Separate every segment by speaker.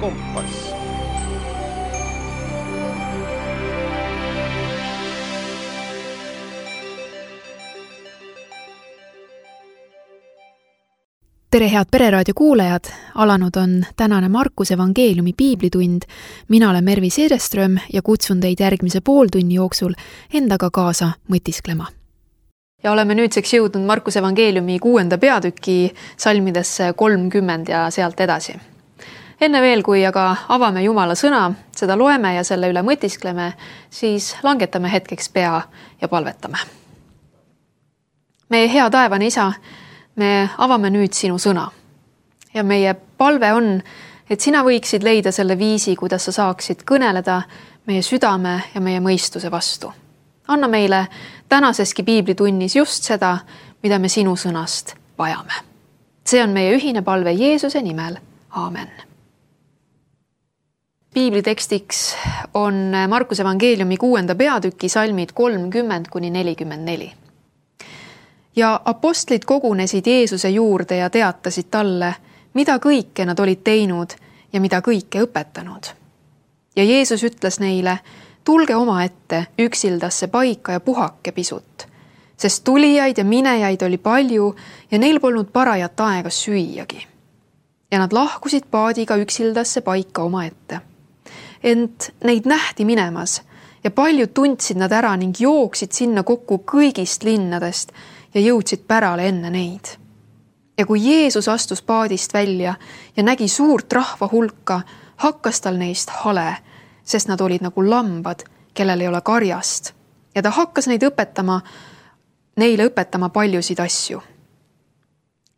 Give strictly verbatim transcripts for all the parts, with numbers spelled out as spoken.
Speaker 1: kompass.
Speaker 2: Tere head Pereraadio kuulajad, alanud on tänane Markuse evangeeliumi piiblitund. Mina olen Mervi Seereström ja kutsun teid järgmise pooltunni jooksul endaga kaasa mõtisklema. Ja oleme nüüdseks jõudnud Markuse evangeeliumi kuuenda peatüki salmidesse kolmkümmend ja sealt edasi. Enne veel, kui aga avame Jumala sõna, seda loeme ja selle üle mõtiskleme, siis langetame hetkeks pea ja palvetame. Meie hea taevane isa, me avame nüüd sinu sõna ja meie palve on, et sina võiksid leida selle viisi, kuidas sa saaksid kõneleda meie südame ja meie mõistuse vastu. Anna meile tänaseski piiblitunnis just seda, mida me sinu sõnast vajame. See on meie ühine palve Jeesuse nimel. Aamen. Piiblitekstiks on Markuse evangeeliumi kuuenda peatüki salmid kolmkümmend kuni nelikümmend neli. Ja apostlid kogunesid Jeesuse juurde ja teatasid talle, mida kõike nad olid teinud ja mida kõike õpetanud. Ja Jeesus ütles neile, tulge oma ette üksildasse paika ja puhake pisut, sest tulijaid ja minejaid oli palju ja neil polnud parajat aega süüagi. Ja nad lahkusid paadiga üksildasse paika oma ette. Ent neid nähti minemas ja paljud tundsid nad ära ning jooksid sinna kokku kõigist linnadest ja jõudsid pärale enne neid. Ja kui Jeesus astus paadist välja ja nägi suurt rahva hulka, hakkas tal neist hale, sest nad olid nagu lambad, kellel ei ole karjast. Ja ta hakkas neid õpetama, neile õpetama paljusid asju.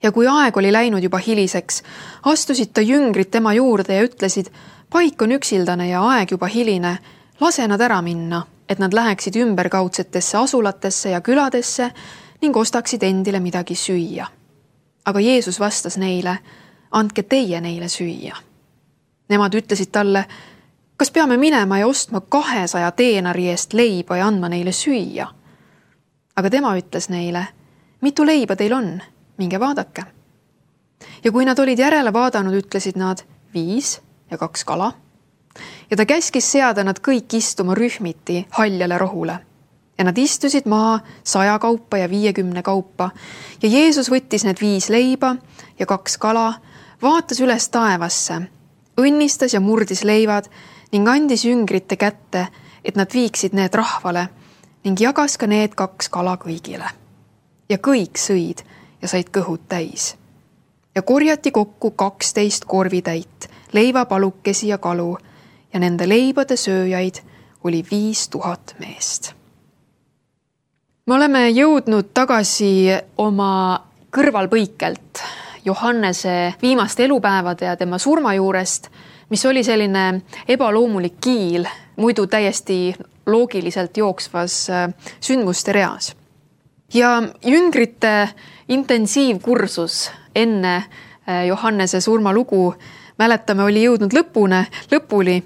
Speaker 2: Ja kui aeg oli läinud juba hiliseks, astusid ta jüngrid tema juurde ja ütlesid, paik on üksildane ja aeg juba hiline, lase nad ära minna, et nad läheksid ümberkaudsetesse asulatesse ja küladesse ning ostaksid endile midagi süüa. Aga Jeesus vastas neile, andke teie neile süüa. Nemad ütlesid talle, kas peame minema ja ostma kahesaja teenari eest leiba ja andma neile süüa? Aga tema ütles neile, mitu leiba teil on, minge vaadake. Ja kui nad olid järele vaadanud, ütlesid nad viis ja kaks kala. Ja ta käskis seada nad kõik istuma rühmiti haljale rohule. Ja nad istusid maha saja kaupa ja viiekümne kaupa. Ja Jeesus võttis need viis leiba ja kaks kala, vaatas üles taevasse, õnnistas ja murdis leivad ning andis jüngrite kätte, et nad viiksid need rahvale ning jagas ka need kaks kala kõigile. Ja kõik sõid ja said kõhud täis. Ja korjati kokku kaksteist korvitäit, leivapalukesi ja kalu ja nende leibade sööjaid oli viis tuhat meest. Me oleme jõudnud tagasi oma kõrvalpõikelt Johannese viimaste elupäevade ja tema surma juurest, mis oli selline ebaloomulik kiil, muidu täiesti loogiliselt jooksvas sündmuste reas. Ja jüngrite intensiivkursus enne Johannese surmalugu, mäletame, oli jõudnud lõpune, lõpuli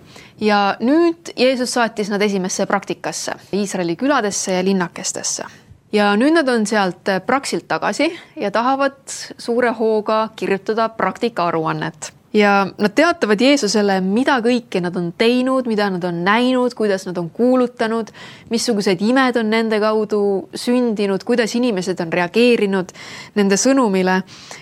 Speaker 2: ja nüüd Jeesus saatis nad esimesse praktikasse, Iisraeli küladesse ja linnakestesse. Ja nüüd nad on sealt praksilt tagasi ja tahavad suure hooga kirjutada praktika aruannet. Ja nad teatavad Jeesusele, mida kõike nad on teinud, mida nad on näinud, kuidas nad on kuulutanud, missugused imed on nende kaudu sündinud, kuidas inimesed on reageerinud nende sõnumile.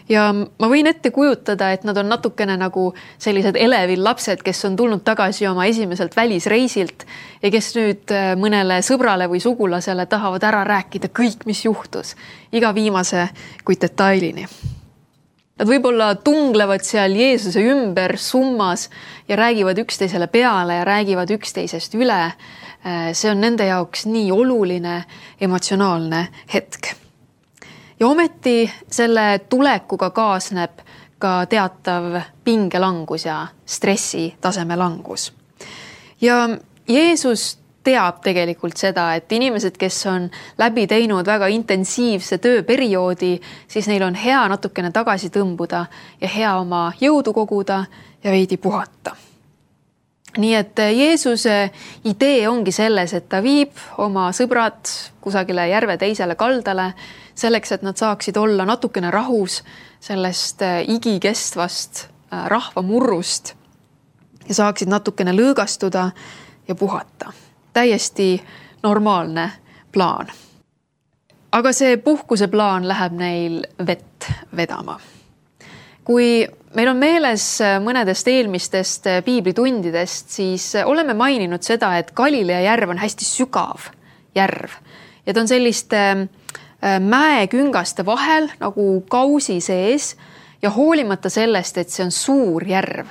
Speaker 2: Ja ma võin ette kujutada, et nad on natukene nagu sellised elevil lapsed, kes on tulnud tagasi oma esimeselt välisreisilt ja kes nüüd mõnele sõbrale või sugulasele tahavad ära rääkida kõik, mis juhtus, iga viimase kui detailini. Nad võib-olla tunglevad seal Jeesuse ümber summas ja räägivad üksteisele peale ja räägivad üksteisest üle. See on nende jaoks nii oluline emotsionaalne hetk. Ja ometi selle tulekuga kaasneb ka teatav pingelangus ja stressi taseme langus. Ja Jeesus teab tegelikult seda, et inimesed, kes on läbi teinud väga intensiivse tööperioodi, siis neil on hea natukene tagasi tõmbuda ja hea oma jõudu koguda ja veidi puhata. Nii et Jeesuse idee ongi selles, et ta viib oma sõbrad kusagile järve teisele kaldale selleks, et nad saaksid olla natukene rahus sellest igikestvast rahva murrust ja saaksid natukene lõõgastuda ja puhata. Täiesti normaalne plaan. Aga see puhkuse plaan läheb neil vett vedama. Kui meil on meeles mõnedest eelmistest piiblitundidest, siis oleme maininud seda, et Galilea järv on hästi sügav järv. Ja ta on selliste mäeküngaste vahel nagu kausi sees ja hoolimata sellest, et see on suur järv,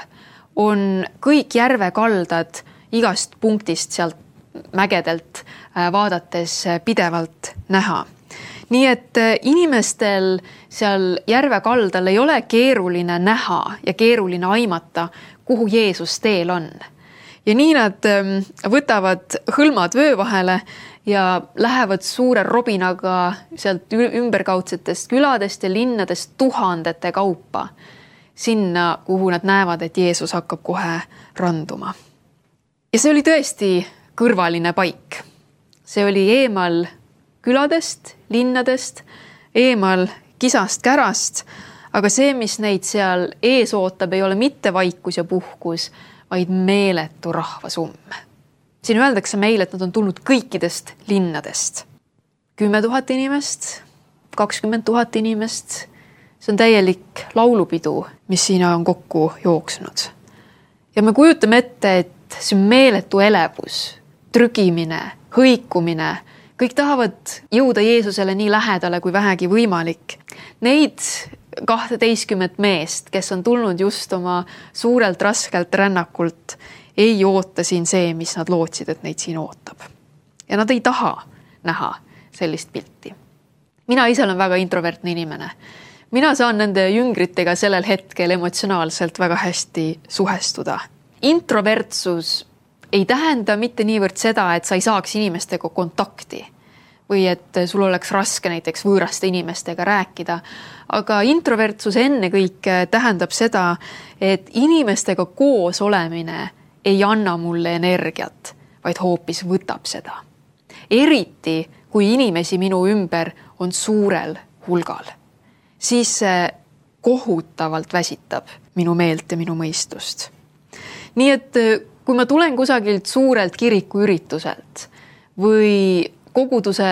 Speaker 2: on kõik järve kaldad igast punktist sealt mägedelt vaadates pidevalt näha. Nii et inimestel seal järve kaldal ei ole keeruline näha ja keeruline aimata, kuhu Jeesus teel on. Ja nii nad võtavad hõlmad vöö vahele ja lähevad suure robinaga sealt ümberkaudsetest küladest ja linnadest tuhandete kaupa sinna, kuhu nad näevad, et Jeesus hakkab kohe randuma. Ja see oli tõesti kõrvaline paik. See oli eemal küladest, linnadest, eemal kisast kärast, aga see, mis neid seal ees ootab, ei ole mitte vaikus ja puhkus, vaid meeletu rahvasumm. Siin öeldakse meile, et nad on tulnud kõikidest linnadest. Kümme tuhat inimest, kakskümmend tuhat inimest. See on täielik laulupidu, mis siin on kokku jooksnud. Ja me kujutame ette, et see on meeletu elevus, trügimine, hõikumine. Kõik tahavad jõuda Jeesusele nii lähedale kui vähegi võimalik. Neid kahteteistkümmet meest, kes on tulnud just oma suurelt raskelt rännakult, ei oota siin see, mis nad lootsid, et neid siin ootab. Ja nad ei taha näha sellist pilti. Mina ise olen väga introvertne inimene. Mina saan nende jüngritega sellel hetkel emotsionaalselt väga hästi suhestuda. Introvertsus ei tähenda mitte niivõrd seda, et sa ei saaks inimestega kontakti või et sul oleks raske näiteks võõraste inimestega rääkida. Aga introvertsus ennekõike tähendab seda, et inimestega koos olemine ei anna mulle energiat, vaid hoopis võtab seda. Eriti, kui inimesi minu ümber on suurel hulgal, siis see kohutavalt väsitab minu meelt ja minu mõistust. Nii et kui ma tulen kusagilt suurelt kirikuürituselt või koguduse,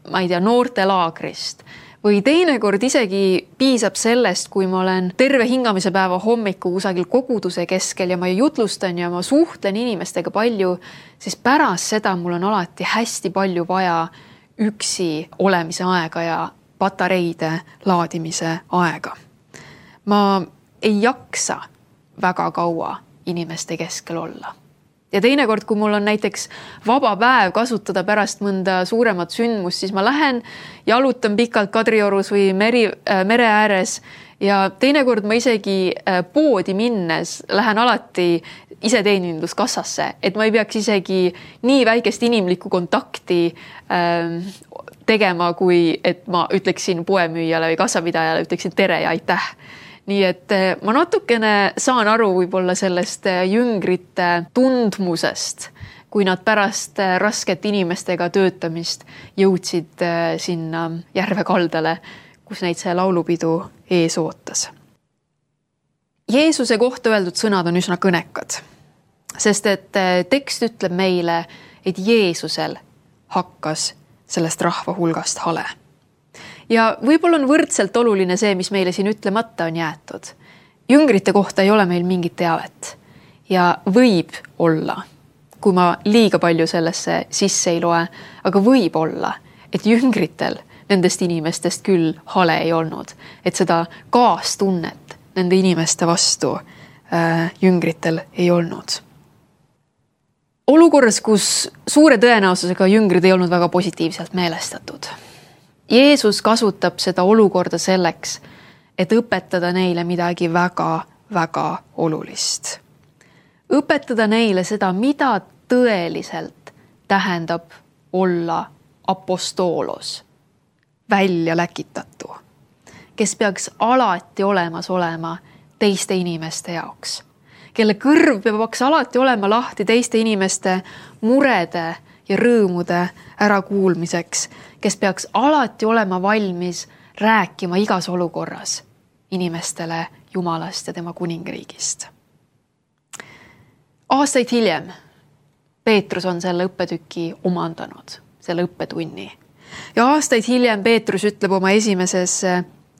Speaker 2: ma ei tea, noortelaagrist või teinekord isegi piisab sellest, kui ma olen terve hingamise päeva hommiku kusagil koguduse keskel ja ma jutlustan ja ma suhtlen inimestega palju, siis pärast seda mul on alati hästi palju vaja üksi olemise aega ja patareide laadimise aega. Ma ei jaksa väga kaua inimeste keskel olla. Ja teinekord, kui mul on näiteks vaba päev kasutada pärast mõnda suuremat sündmust, siis ma lähen jalutan pikalt Kadriorus või meri, äh, mere ääres ja teinekord ma isegi äh, poodi minnes lähen alati iseteeninduskassasse, et ma ei peaks isegi nii väikest inimlikku kontakti äh, tegema, kui et ma ütleksin poemüüjale või kassapidajale, ütleksin tere ja aitäh. Nii et ma natukene saan aru võib-olla sellest jüngrite tundmusest, kui nad pärast rasket inimestega töötamist jõudsid sinna järve kaldale, kus neid see laulupidu ees ootas. Jeesuse kohta öeldud sõnad on üsna kõnekad, sest et tekst ütleb meile, et Jeesusel hakkas sellest rahva hulgast hale. Ja võib-olla on võrdselt oluline see, mis meile siin ütlemata on jäetud. Jüngrite kohta ei ole meil mingit teavet ja võib olla, kui ma liiga palju sellesse sisse ei loe, aga võib olla, et jüngritel nendest inimestest küll hale ei olnud, et seda kaastunnet nende inimeste vastu äh, jüngritel ei olnud. Olukorras, kus suure tõenäosusega jüngrid ei olnud väga positiivselt meelestatud. Jeesus kasutab seda olukorda selleks, et õpetada neile midagi väga, väga olulist. Õpetada neile seda, mida tõeliselt tähendab olla apostoolos, välja läkitatu, kes peaks alati olemas olema teiste inimeste jaoks, kelle kõrv peaks alati olema lahti teiste inimeste murede ja rõõmude ärakuulmiseks, kes peaks alati olema valmis rääkima igas olukorras inimestele Jumalast ja tema kuningriigist. aastaid hiljem Peetrus on selle õppetüki omandanud, selle õppetunni. Ja aastaid hiljem Peetrus ütleb oma esimeses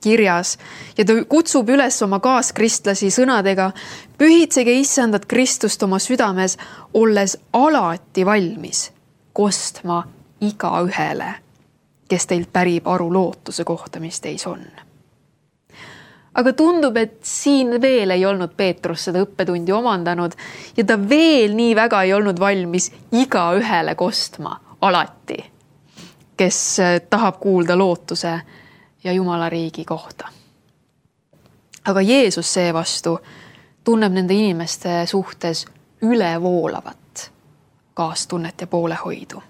Speaker 2: kirjas ja ta kutsub üles oma kaaskristlasi sõnadega: pühitsege issandat Kristust oma südames, olles alati valmis kostma iga ühele, kes teilt pärib aru lootuse kohta, mis teis on. Aga tundub, et siin veel ei olnud Peetrus seda õppetundi omandanud ja ta veel nii väga ei olnud valmis iga ühele kostma alati, kes tahab kuulda lootuse ja Jumala riigi kohta. Aga Jeesus seevastu tunneb nende inimeste suhtes ülevoolavat kaastunnet ja poolehoidu.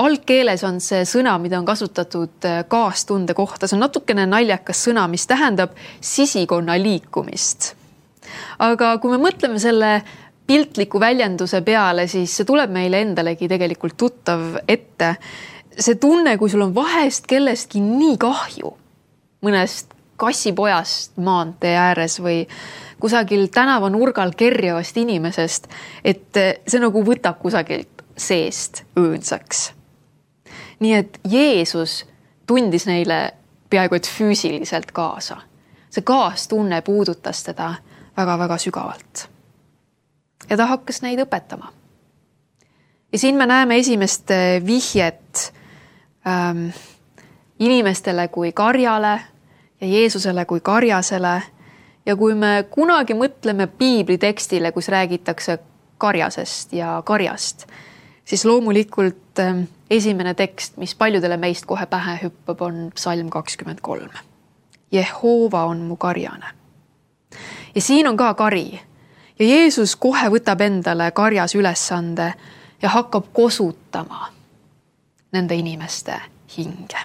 Speaker 2: Algkeeles on see sõna, mida on kasutatud kaastunde kohta. See on natukene naljakas sõna, mis tähendab sisikonna liikumist. Aga kui me mõtleme selle piltliku väljenduse peale, siis see tuleb meile endalegi tegelikult tuttav ette. See tunne, kui sul on vahest kellestki nii kahju, mõnest kassipojast maantee ääres või kusagil tänava nurgal kerjavast inimesest, et see nagu võtab kusagilt seest õõnsaks. Nii et Jeesus tundis neile peaaegu et füüsiliselt kaasa. See kaastunne puudutas teda väga-väga sügavalt. Ja ta hakkas neid õpetama. Ja siin me näeme esimest vihjet ähm, inimestele kui karjale ja Jeesusele kui karjasele. Ja kui me kunagi mõtleme piibli tekstile, kus räägitakse karjasest ja karjast, siis loomulikult ähm, esimene tekst, mis paljudele meist kohe pähe hüppab, on psalm kakskümmend kolm. Jehova on mu karjane. Ja siin on ka kari. Ja Jeesus kohe võtab endale karjas ülesande ja hakkab kosutama nende inimeste hinge.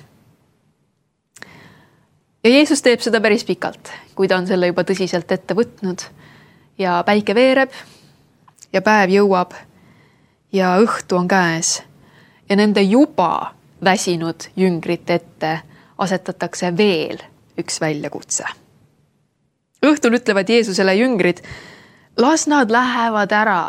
Speaker 2: Ja Jeesus teeb seda päris pikalt, kui ta on selle juba tõsiselt ette võtnud. Ja päike veereb ja päev jõuab ja õhtu on käes. Ja nende juba väsinud jüngrite ette asetatakse veel üks väljakutse. Õhtul ütlevad Jeesusele jüngrid: las nad lähevad ära.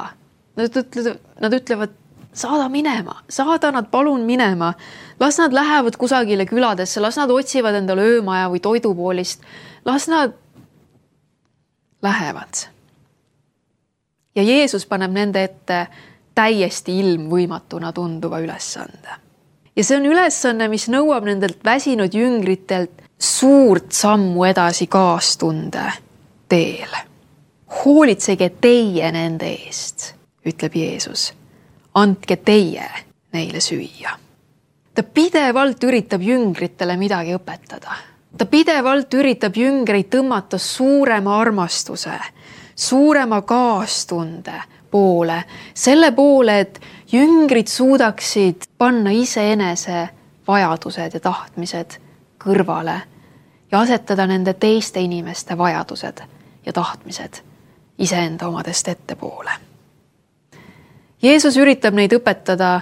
Speaker 2: Nad ütlevad, nad ütlevad, saada minema, saada nad palun minema. Las nad lähevad kusagile küladesse, las nad otsivad endale öömaja või toidupoolist. Las nad lähevad. Ja Jeesus paneb nende ette täiesti ilmvõimatuna tunduva ülesande. Ja see on ülesanne, mis nõuab nendelt väsinud jüngritelt suurt sammu edasi kaastunde teel. Hoolitsege teie nende eest, ütleb Jeesus. Andke teie neile süüa. Ta pidevalt üritab jüngritele midagi õpetada. Ta pidevalt üritab jüngreid tõmmata suurema armastuse, suurema kaastunde poole, selle poole, et jüngrid suudaksid panna iseenese vajadused ja tahtmised kõrvale ja asetada nende teiste inimeste vajadused ja tahtmised iseenda omadest ettepoole. Jeesus üritab neid õpetada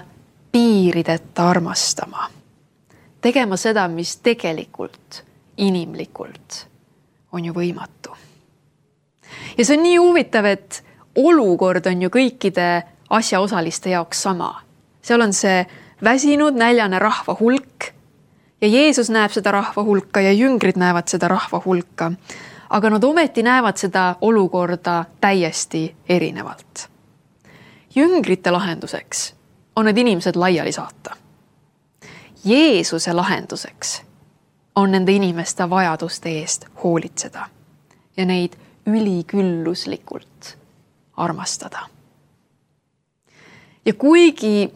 Speaker 2: piirideta armastama, tegema seda, mis tegelikult, inimlikult on ju võimatu. Ja see on nii huvitav, et olukord on ju kõikide asjaosaliste jaoks sama. Seal on see väsinud näljane rahva hulk ja Jeesus näeb seda rahva hulka ja jüngrid näevad seda rahva hulka. Aga nad ometi näevad seda olukorda täiesti erinevalt. Jüngrite lahenduseks on need inimesed laiali saata. Jeesuse lahenduseks on nende inimeste vajaduste eest hoolitseda ja neid ülikülluslikult armastada. Ja kuigi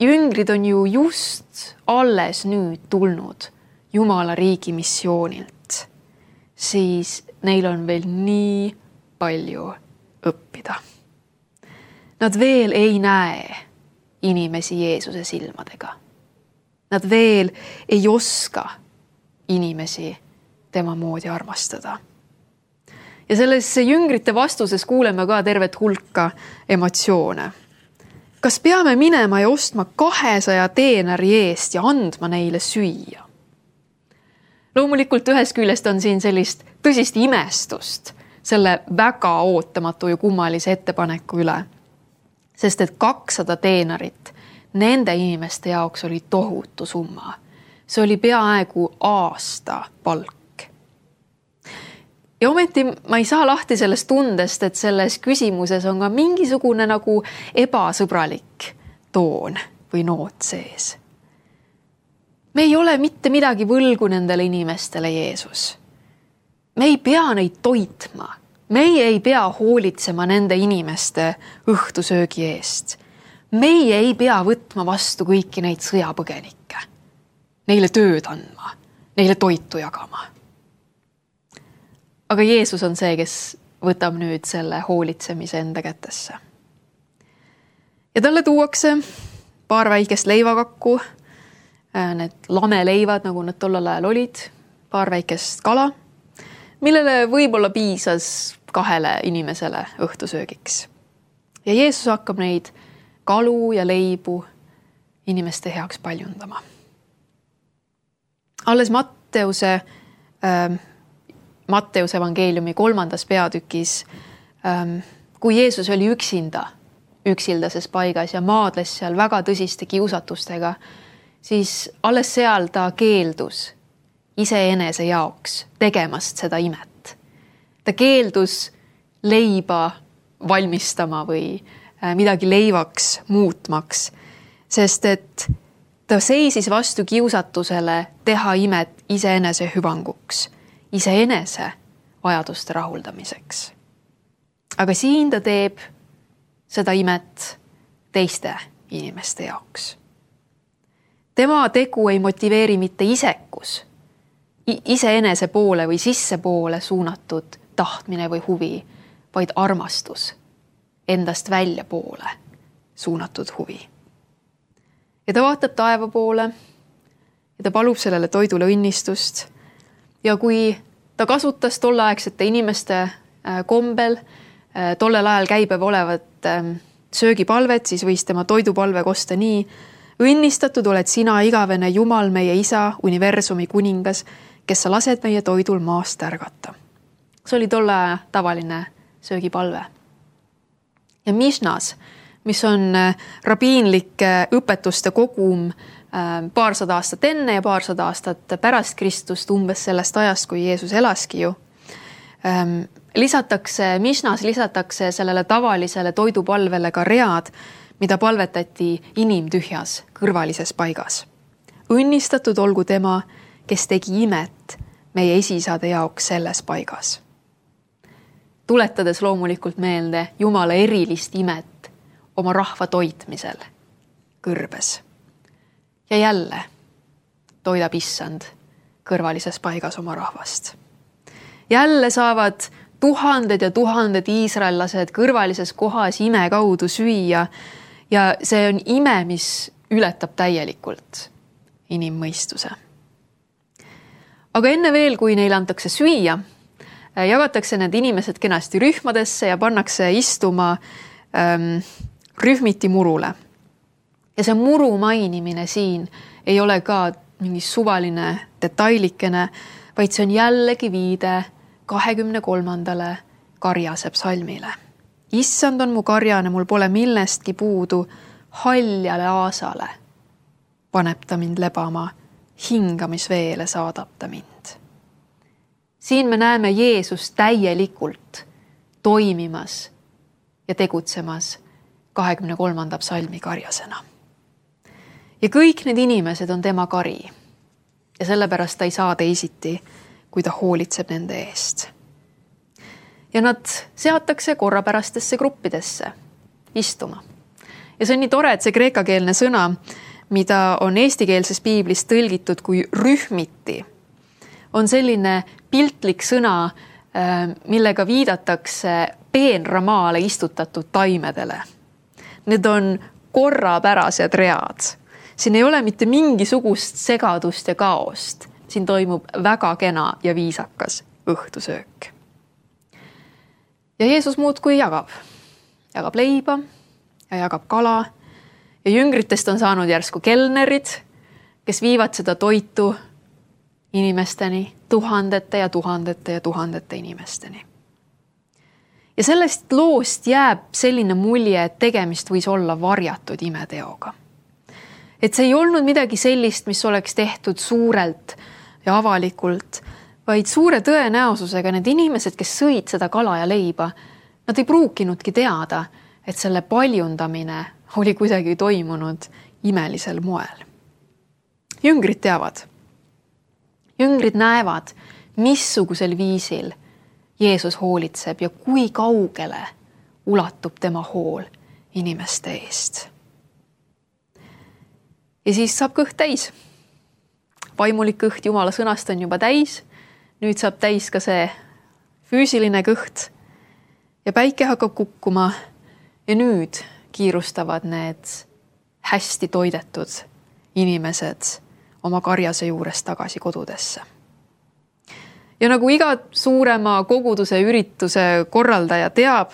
Speaker 2: jüngrid on ju just alles nüüd tulnud Jumala riigi missioonilt, siis neil on veel nii palju õppida. Nad veel ei näe inimesi Jeesuse silmadega. Nad veel ei oska inimesi tema moodi armastada. Ja selles jüngrite vastuses kuuleme ka tervet hulka emotsioone. Kas peame minema ja ostma kahesaja teenari eest ja andma neile süüa? Loomulikult ühest küljest on siin sellist tõsist imestust selle väga ootamatu ja kummalise ettepaneku üle. Sest et kakssada teenarit nende inimeste jaoks oli tohutu summa. See oli peaaegu aasta palk. Ja ometi ma ei saa lahti sellest tundest, et selles küsimuses on ka mingisugune nagu ebasõbralik toon või noot sees. Me ei ole mitte midagi võlgu nendele inimestele, Jeesus. Me ei pea neid toitma. Meie ei pea hoolitsema nende inimeste õhtusöögi eest. Meie ei pea võtma vastu kõiki neid sõjapõgenikke. Neile tööd andma, neile toitu jagama. Aga Jeesus on see, kes võtab nüüd selle hoolitsemise enda kätesse. Ja talle tuuakse paar väikest leivakakku, need lameleivad, nagu nad tollal ajal olid, paar väikest kala, millele võib-olla piisas kahele inimesele õhtusöögiks. Ja Jeesus hakkab neid kalu ja leibu inimeste heaks paljundama. Alles Matteuse, äh, Matteuse evangeeliumi kolmandas peatükis, äh, kui Jeesus oli üksinda, üksildases paigas ja maadles seal väga tõsiste kiusatustega, siis alles seal ta keeldus iseenese jaoks tegemast seda imet. Ta keeldus leiba valmistama või midagi leivaks muutmaks, sest et ta seisis vastu kiusatusele teha imet iseenese hüvanguks, iseenese vajaduste rahuldamiseks. Aga siin ta teeb seda imet teiste inimeste jaoks. Tema tegu ei motiveeri mitte isekus, iseenese poole või sissepoole suunatud tahtmine või huvi, vaid armastus, endast välja poole suunatud huvi. Ja ta vaatab taeva poole ja ta palub sellele toidule õnnistust. Ja kui ta kasutas tolleaegsete inimeste kombel tollel ajal käibev olevat söögipalvet, siis võis tema toidupalve kosta nii: õnnistatud oled sina, igavene Jumal, meie isa, universumi kuningas, kes sa lased meie toidul maast ärgata. See oli tolle tavaline söögipalve. Ja Mishnas, mis on rabiinlik õpetuste kogum paarsada aastat enne ja paarsada aastat pärast Kristust, umbes sellest ajast, kui Jeesus elaski ju, lisatakse, Mishnas lisatakse sellele tavalisele toidupalvele ka read, mida palvetati inimtühjas kõrvalises paigas. Õnnistatud olgu tema, kes tegi imet meie esisade jaoks selles paigas. Tuletades loomulikult meelde Jumala erilist imet oma rahva toitmisel kõrbes. Ja jälle toidab issand kõrvalises paigas oma rahvast. Jälle saavad tuhanded ja tuhanded iisraellased kõrvalises kohas ime kaudu süüa ja see on ime, mis ületab täielikult inimmõistuse. Aga enne veel, kui neile antakse süüa, jagatakse need inimesed kenasti rühmadesse ja pannakse istuma ähm, rühmiti murule. Ja see muru mainimine siin ei ole ka mingi suvaline detailikene, vaid see on jällegi viide kahekümne kolmandale karjase psalmile. Issand on mu karjane, mul pole millestki puudu, haljale aasale paneb ta mind lebama, hingamisveele saadab ta mind. Siin me näeme Jeesus täielikult toimimas ja tegutsemas kahekümne kolmanda psalmi karjasena. Ja kõik need inimesed on tema kari ja sellepärast ta ei saa teisiti, kui ta hoolitseb nende eest. Ja nad seatakse korrapärastesse gruppidesse istuma. Ja see on nii tore, et see kreekakeelne sõna, mida on eestikeelses piiblis tõlgitud kui rühmiti, on selline piltlik sõna, millega viidatakse peenramaale istutatud taimedele. Need on korrapärased read. Siin ei ole mitte mingisugust segadust ja kaost. Siin toimub väga kena ja viisakas õhtusöök. Ja Jeesus muudkui jagab. Jagab leiba ja jagab kala. Ja jüngritest on saanud järsku kelnerid, kes viivad seda toitu inimesteni, tuhandete ja tuhandete ja tuhandete inimesteni. Ja sellest loost jääb selline mulje, et tegemist võis olla varjatud imeteoga. Et see ei olnud midagi sellist, mis oleks tehtud suurelt ja avalikult, vaid suure tõenäosusega need inimesed, kes sõid seda kala ja leiba, nad ei pruukinudki teada, et selle paljundamine oli kuidagi toimunud imelisel moel. Jüngrid teavad. Jüngrid näevad, missugusel viisil Jeesus hoolitseb ja kui kaugele ulatub tema hool inimeste eest. Ja siis saab kõht täis. Vaimulik kõht Jumala sõnast on juba täis. Nüüd saab täis ka see füüsiline kõht ja päike hakkab kukkuma ja nüüd kiirustavad need hästi toidetud inimesed oma karjase juurest tagasi kodudesse. Ja nagu iga suurema koguduse ürituse korraldaja teab,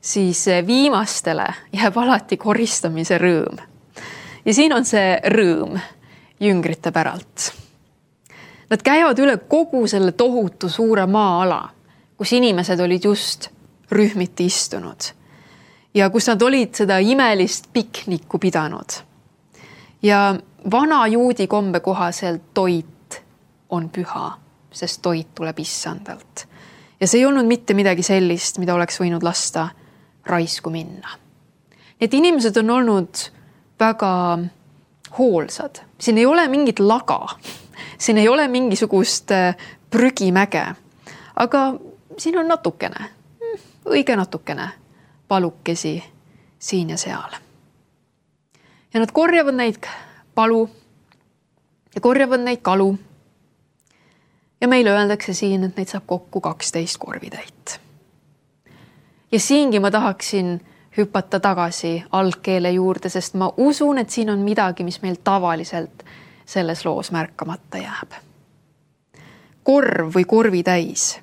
Speaker 2: siis viimastele jääb alati koristamise rõõm. Ja siin on see rõõm jüngrite päralt. Nad käivad üle kogu selle tohutu suure maa-ala, kus inimesed olid just rühmiti istunud ja kus nad olid seda imelist piknikku pidanud. Ja vana juudi kombe kohaselt toit on püha, sest toit tuleb issandalt. Ja see ei olnud mitte midagi sellist, mida oleks võinud lasta raisku minna. Need inimesed on olnud väga hoolsad. Siin ei ole mingit laga. Siin ei ole mingisugust prügimäge. Aga siin on natukene, õige natukene palukesi siin ja seal. Ja nad korjavad neid palu ja korjavad neid kalu. Ja meile öeldakse siin, et neid saab kokku kaksteist korvitäit. Ja siingi ma tahaksin hüpata tagasi algkeele juurde, sest ma usun, et siin on midagi, mis meil tavaliselt selles loos märkamata jääb. Korv või korvitäis.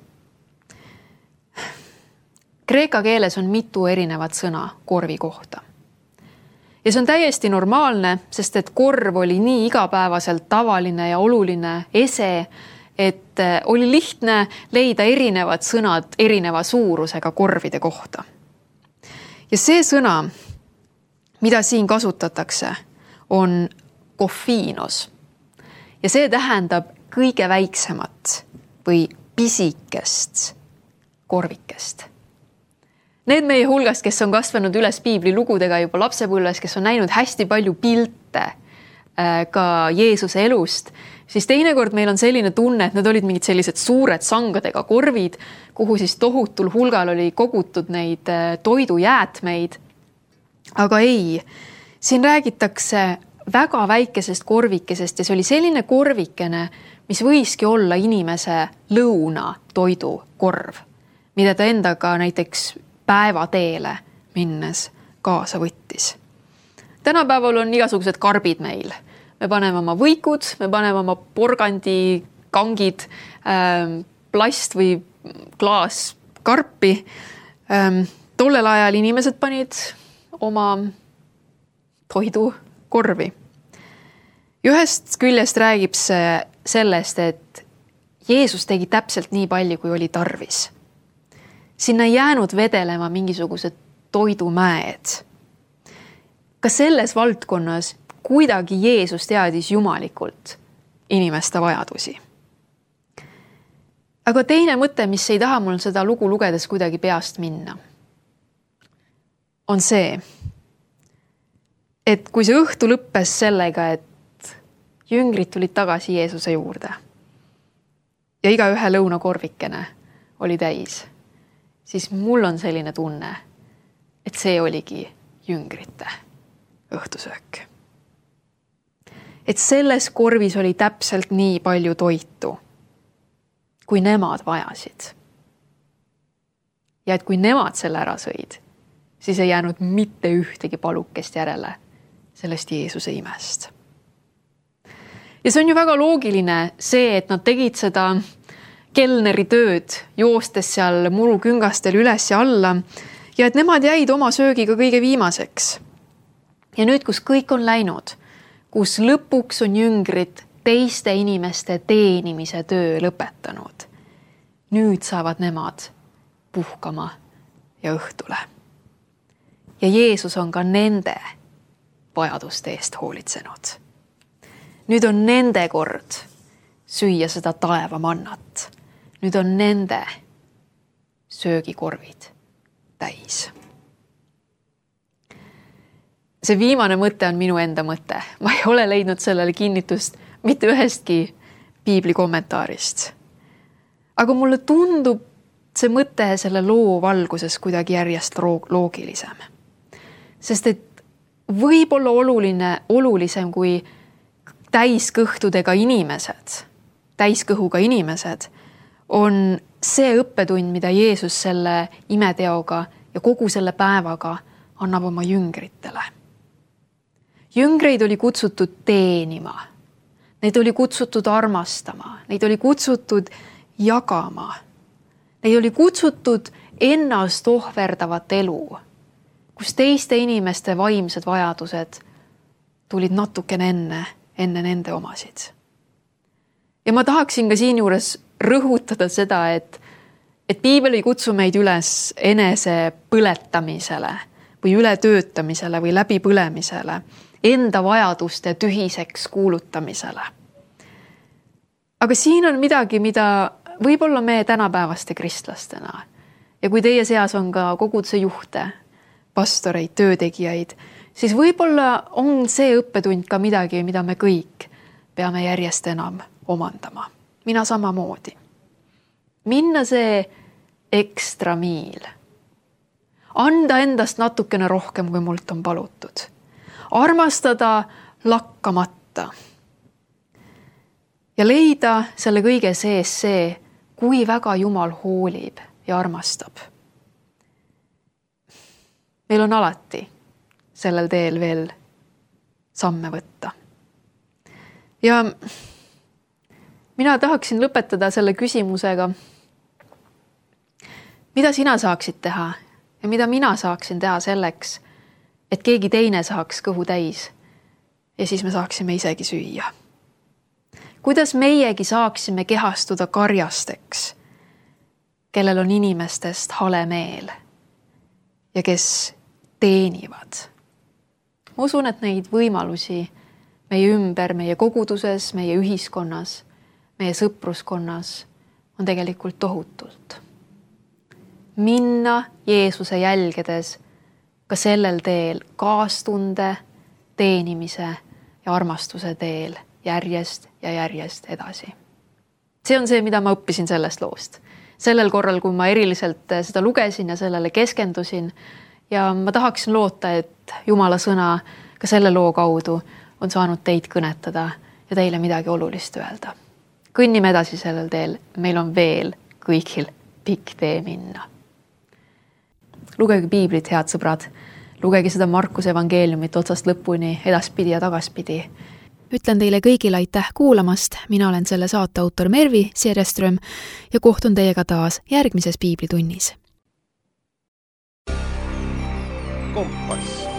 Speaker 2: Kreeka keeles on mitu erinevat sõna korvi kohta. Ja see on täiesti normaalne, sest et korv oli nii igapäevaselt tavaline ja oluline ese, et oli lihtne leida erinevad sõnad erineva suurusega korvide kohta. Ja see sõna, mida siin kasutatakse, on kofiinos. Ja see tähendab kõige väiksemat või pisikest korvikest. Need meie hulgast, kes on kasvanud üles piibli lugudega juba lapsepõlves, kes on näinud hästi palju pilte ka Jeesuse elust, siis teinekord meil on selline tunne, et need olid mingid sellised suured sangadega korvid, kuhu siis tohutul hulgal oli kogutud neid toidujäätmeid. Aga ei, siin räägitakse väga väikesest korvikesest ja see oli selline korvikene, mis võiski olla inimese lõuna toidu korv, mida ta endaga näiteks päevateele minnes kaasa võttis. Tänapäeval on igasugused karbid meil. Me paneme oma võikud, me paneme oma porgandi, kangid, plast või klaas karpi. Tollel ajal inimesed panid oma toidu korvi. Ühest küljest räägib see sellest, et Jeesus tegi täpselt nii palju, kui oli tarvis. Sinna ei jäänud vedelema mingisugused toidumäed. Ka selles valdkonnas kuidagi Jeesus teadis jumalikult inimeste vajadusi. Aga teine mõte, mis ei taha mul seda lugu lugedes kuidagi peast minna, on see, et kui see õhtu lõppes sellega, et jüngrid tulid tagasi Jeesuse juurde ja iga ühe lõunakorvikene oli täis, siis mul on selline tunne, et see oligi jüngrite õhtusöök. Et selles korvis oli täpselt nii palju toitu, kui nemad vajasid. Ja et kui nemad selle ära sõid, siis ei jäänud mitte ühtegi palukest järele sellest Jeesuse imest. Ja see on ju väga loogiline see, et nad tegid seda kelneri tööd, joostes seal muruküngastel üles ja alla ja et nemad jäid oma söögiga kõige viimaseks. Ja nüüd, kus kõik on läinud, kus lõpuks on jüngrid teiste inimeste teenimise töö lõpetanud, nüüd saavad nemad puhkama ja õhtule. Ja Jeesus on ka nende vajaduste eest hoolitsenud. Nüüd on nende kord süüa seda taeva mannat. Nüüd on nende söögikorvid täis. See viimane mõte on minu enda mõte. Ma ei ole leidnud sellele kinnitust mitte ühestki piibli kommentaarist. Aga mulle tundub see mõte selle loo valguses kuidagi järjest loogilisem. Sest et võib olla oluline, olulisem kui täiskõhtudega inimesed, täiskõhuga inimesed, on see õppetund, mida Jeesus selle imeteoga ja kogu selle päevaga annab oma jüngritele. Jüngreid oli kutsutud teenima, neid oli kutsutud armastama, neid oli kutsutud jagama, neid oli kutsutud ennast ohverdavat elu, kus teiste inimeste vaimsed vajadused tulid natukene enne, enne nende omasid. Ja ma tahaksin ka siin juures rõhutada seda, et, et piibel ei kutsu meid üles enese põletamisele või ületöötamisele või läbipõlemisele, enda vajaduste tühiseks kuulutamisele. Aga siin on midagi, mida võib-olla me tänapäevaste kristlastena ja kui teie seas on ka koguduse juhte, pastoreid, töötegijaid, siis võib-olla on see õppetund ka midagi, mida me kõik peame järjest enam omandama. Mina samamoodi. Minna see ekstra miil. Anda endast natukene rohkem, kui mult on palutud. Armastada lakkamata. Ja leida selle kõige sees see, kui väga Jumal hoolib ja armastab. Meil on alati sellel teel veel samme võtta. Ja mina tahaksin lõpetada selle küsimusega, mida sina saaksid teha ja mida mina saaksin teha selleks, et keegi teine saaks kõhu täis ja siis me saaksime isegi süüa. Kuidas meiegi saaksime kehastuda karjasteks, kellel on inimestest hale meel ja kes teenivad. Ma usun, et neid võimalusi meie ümber, meie koguduses, meie ühiskonnas, meie sõpruskonnas on tegelikult tohutult. Minna Jeesuse jälgedes ka sellel teel kaastunde, teenimise ja armastuse teel järjest ja järjest edasi. See on see, mida ma õppisin sellest loost. Sellel korral, kui ma eriliselt seda lugesin ja sellele keskendusin ja ma tahaksin loota, et Jumala sõna ka selle loo kaudu on saanud teid kõnetada ja teile midagi olulist öelda. Kõnnime edasi sellel teel, meil on veel kõigil pikk tee minna. Lugege piiblit, head sõbrad. Lugege seda Markuse evangeeliumit otsast lõpuni, edaspidi ja tagaspidi.
Speaker 1: Ütlen teile kõigile aitäh kuulamast. Mina olen selle saate autor Mervi Siereström ja kohtun teiega taas järgmises piiblitunnis.
Speaker 3: Kompass.